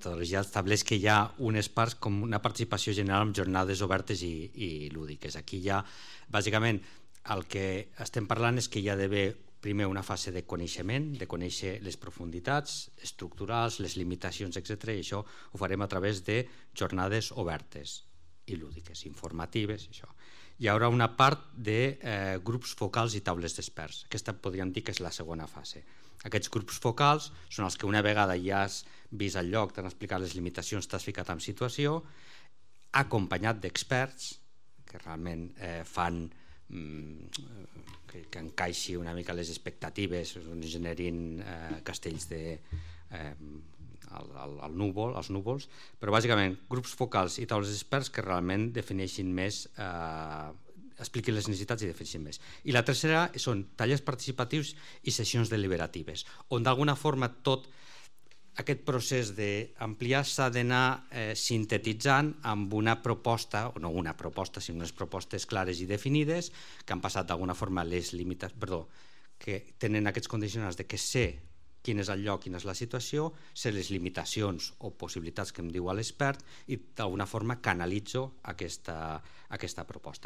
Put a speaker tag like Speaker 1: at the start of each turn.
Speaker 1: metodologia estableix que hi ha unes parts com una participació general amb jornades obertes i lúdiques. Aquí ja, bàsicament, el que estem parlant és que hi ha d'haver primer una fase de coneixement, de conèixer les profunditats estructurals, les limitacions, etc. I això ho farem a través de jornades obertes i lúdiques, informatives. Això. Hi haurà una part de grups focals i taules d'experts. Aquesta podríem dir que és la segona fase. Aquests grups focals són els que una vegada ja has vist el lloc, t'han explicat les limitacions, t'has ficat en situació, acompanyat d'experts que realment fan que encaixi una mica les expectatives, generin castells als núvols, però bàsicament grups focals i taules d'experts que realment defineixin més, expliquin les necessitats i defineixin més. I la tercera són tallers participatius i sessions deliberatives, on d'alguna forma tot aquest procés d'ampliar s'ha d'anar sintetitzant amb una proposta, o no una proposta, sinó unes propostes clares i definides que han passat d'alguna forma les que tenen aquests condicionants de que sé quin és el lloc, quina és la situació, sé les limitacions o possibilitats que em diu l'expert i d'alguna forma canalitzo aquesta proposta.